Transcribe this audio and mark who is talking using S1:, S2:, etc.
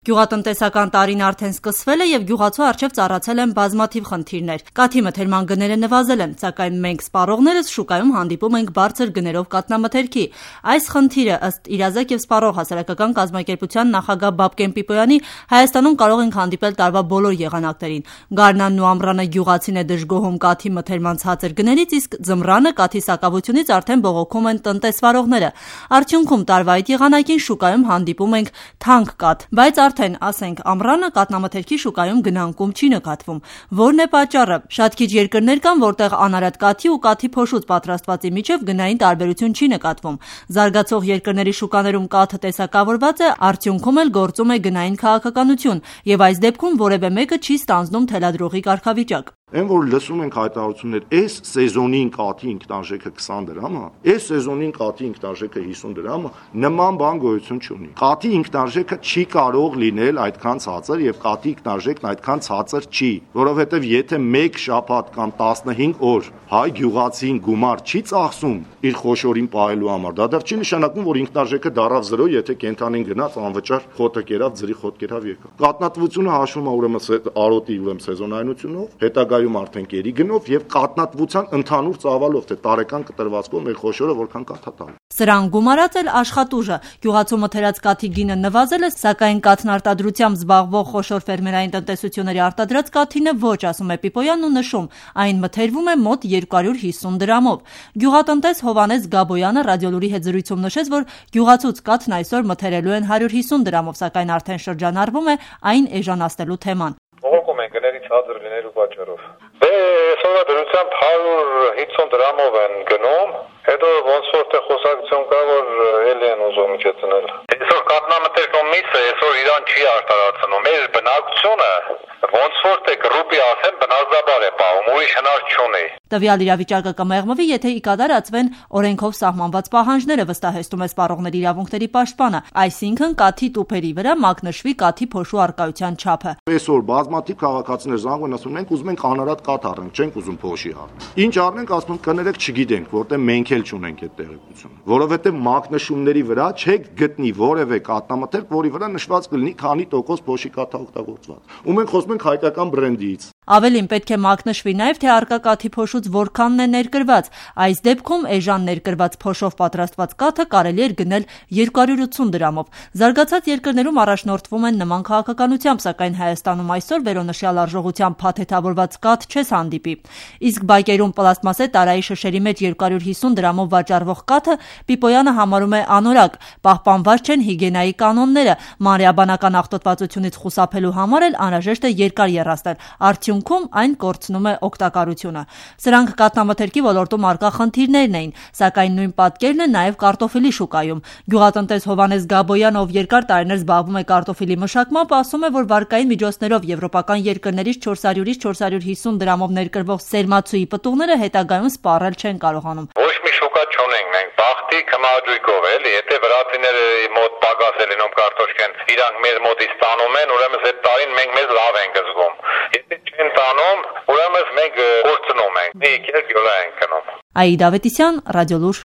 S1: Գյուղատնտեսական տարին արդեն սկսվել է եւ գյուղացու առջեւ ծառացել են բազմաթիվ խնդիրներ։ Կաթի մթերման գները նվազել են, սակայն մենք սպառողներս շուկայում հանդիպում ենք բարձր գներով կաթնամթերքի։ Այս խնդիրը ըստ Իրազեկ եւ սպառող հասարակական կազմակերպության նախագահ Բաբկեն Պիպոյանի Հայաստանում կարող ենք հանդիպել տարվա բոլոր եղանակներին։ Գարնանն ու ամռանը գյուղացին է դժգոհում կաթի մթերման ցածր գներից, իսկ ձմռանը կաթի սակավությունից արդեն բողոքում են տնտեսվարողները։ Արդյունքում տարվա այդ եղանակին շուկայում հանդիպում ենք թանկ կաթ, բայց արդեն ասենք ամռանը կաթնամթերքի շուկայում գնանկում չի նկատվում։ Որն է պատճառը։ Շատ քիչ երկրներ կան, որտեղ անարատ կաթի ու կաթի փոշուց պատրաստվածի միջև գնային տարբերություն չի նկատվում։ Զարգացող երկրների շուկաներում կաթը տեսակավորված է, արդյունքում էլ գործում է գնային քաղաքականություն, եւ այս դեպքում որևէ մեկը չի ստանձնում թելադրողի կարգավիճակ։
S2: Այն որ լսում ենք հայտարարություններ, այս սեզոնին կաթի ինքնարժեքը 20 դրամ է, այս սեզոնին կաթի ինքնարժեքը 50 դրամ է, նման բան գոյություն չունի։ Կաթի ինքնարժեքը չի կարող լինել այդքան ցածր եւ կաթի ինքնարժեքն այդքան ցածր չի, որովհետեւ եթե 1 շաբաթ կամ 15 օր հայ գյուղացին գումար չի ծախսում իր խոշորին պահելու համար, դա դեռ չի նշանակում, որ ինքնարժեքը դարավ 0, եթե կենթանին գնաց անվճար խոտը կերավ, ձրի խոտ կերավ եկավ։ Կատնատվությունը հաշվում է ուրեմն արոտի սեզոնայնությունով, հետագայում արդեն կերի գնով եւ կատնատվության ընդհանուր ծավալով, թե տարեկան կտրվածքով մեր խոշորը որքան կաթ է տալու։
S1: Սրան գումարած էլ աշխատուժը։ Գյուղացու մթերած կաթի գինը նվազել է, սակայն կաթնարտադրությամբ զբաղվող խոշոր ֆերմերային տնտեսությունների արտադրած կաթինը ոչ, ասում է Պիպոյանն ու նշում, այն մթերվում է մոտ 250 դրամով։ Գյուղատնտես Հովհաննես Գաբոյանը ռադիոլուրի հետ զրույցում նշեց, որ գյուղացուց կաթն այսօր մթերելու են 150 դրամով, սակայն արդեն շրջանառվում է այն էժանացնելու թեման։
S3: Բողոքում են գների ցածր լինելու պատճառով։ Այսօր դրությամբ 150 դրամով են գնում, հետո ոնց որ թե խոսակցություն կա, որ ելի են ուզում իջեցնել։ Այսօր կատնամթերքում միսը այսօր իրան չի արտարացնում։ Մեր բնակչությունը ոնց որ թե գրուպի ասեն բնազդաբար է պահում, ուրիշ հնար չունի։
S1: Տվյալ իրավիճակը կմեղմվի, եթե ի կատարածվեն օրենքով սահմանված պահանջները, վստահեցնում է սպառողների իրավունքների պաշտպանը, այսինքն կաթի տուփերի վրա մակնշվի կաթի փոշու առկայության չափը։
S2: Այսօր բազմաթիվ քաղաքացիներ զանգում են, ասում են, ուզում ենք անարատ կաթ առնենք, չենք ուզում փոշի առնել։ Ինչ առնենք, ասում են, կներեք, չգիտենք, որտեղ մենք էլ չունենք այդ տեղեկությունը, որովհետև մակնշումների վրա չեք գտնի որևէ կաթնամթերք, որի վրա նշված կլինի քանի տոկոս փոշի կաթ է օգտագործված։ Ու մենք խոսում ենք հայկական բրենդից։
S1: Ավելին պետք է մակնշվի նաև, թե առկա կաթի փոշուց որքանն է ներկրված։ Այս դեպքում էժան ներկրված փոշով պատրաստված կաթը կարելի էր գնել 280 դրամով։ Զարգացած երկրներում առաջնորդվում են նման քաղաքականությամբ, սակայն Հայաստանում այսօր վերոնշյալ արժողությամբ փաթեթավորված կաթ չես հանդիպի։ Իսկ բակերում պլաստմասե տարայի շշերի մեջ 250 դրամով վաճառվող կաթը Պիպոյանը համարում է անորակ, պահպանված չեն հիգիենայի կանոնները, մանրէաբանական աղտոտվածությունից խուսափելու համար էլ անհրաժեշտ է երկար եռացնել, արդյունքում այն կորցնում է օգտակարությունը։ Սրանք կաթնամթերքի ոլորտում առկա խնդիրներն էին, սակայն նույն պատկերն է նաև կարտոֆիլի շուկայում։ Գյուղատնտես Հովհաննես Գաբոյանը, ով երկար տարիներ զբաղվում է կարտոֆիլի մշակմամբ, ասում է, որ վարկային միջոցներով եվրոպական երկրներից 400-ից 450 դրամով ներկրվող սերմացուի պտուղները հետագայում սպառել չեն կարողանում։
S3: Ոչ մի շուկա չունենք մենք, բախտի կմաջույքով էլի, եթե վրացիները մոտ պակաս է լինում կարտոշկեն, իրանք մեր մոտից տանում են, ուրեմն այդ տարին մենք մեզ լավ ենք զգում։ Եթե չեն տանում, ուրեմն մենք կորցնում ենք։ Մի քիչ գյուղա ենք գնում։
S1: Աիդ Ավետիսյան, Ռադիոլուր։